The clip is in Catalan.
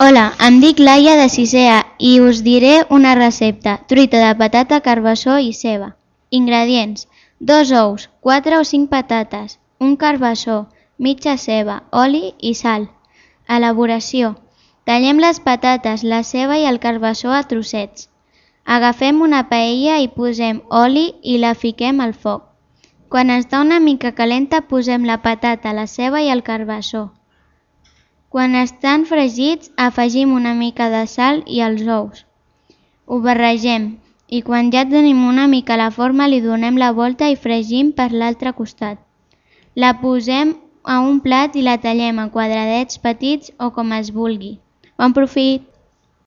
Hola, em dic Laia de 6è A i us diré una recepta: truita de patata, carbassó i ceba. Ingredients: 2 ous, 4 o 5 patates, un carbassó, mitja ceba, oli i sal. Elaboració: tallem les patates, la ceba i el carbassó a trossets. Agafem una paella i posem oli i la fiquem al foc. Quan està una mica calenta posem la patata, la ceba i el carbassó. Quan estan fregits afegim una mica de sal i els ous. Ho barregem i quan ja tenim una mica la forma li donem la volta i fregim per l'altre costat. La posem a un plat i la tallem a quadradets petits o com es vulgui. Bon profit!